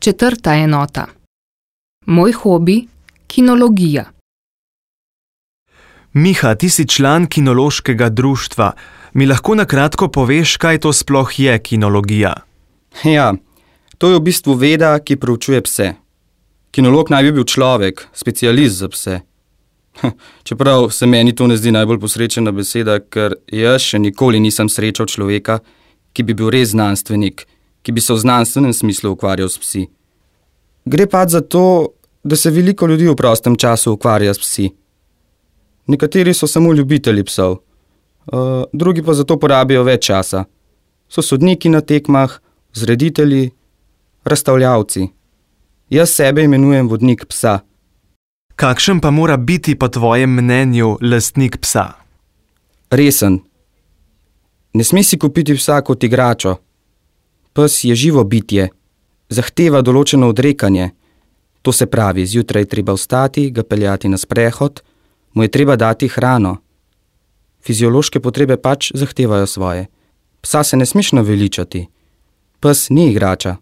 Četrta enota. Moj hobi, kinologija. Miha, ti si član kinološkega društva. Mi lahko na kratko poveš, kaj to sploh je kinologija? Ja, to je v bistvu veda, ki proučuje pse. Kinolog naj bi bil človek, specialist za pse. Čeprav se meni to ne zdi najbolj posrečena beseda, ker jaz še nikoli nisem srečal človeka, ki bi bil res znanstvenik, ki bi se v znanstvenem smislu ukvarjal s psi. Gre pač za to, da se veliko ljudi v prostem času ukvarja s psi. Nekateri so samo ljubitelji psov, drugi pa zato porabijo več časa. So sodniki na tekmah, vzreditelji, razstavljavci. Jaz sebe imenujem vodnik psa. Kakšen pa mora biti po tvojem mnenju lastnik psa? Resen. Ne sme si kupiti psa kot igračo. Pes je živo bitje, zahteva določeno odrekanje. To se pravi, zjutraj je treba vstati, ga peljati na sprehod, mu je treba dati hrano. Fiziološke potrebe pač zahtevajo svoje. Psa se ne smeš naveličati. Pes ni igrača.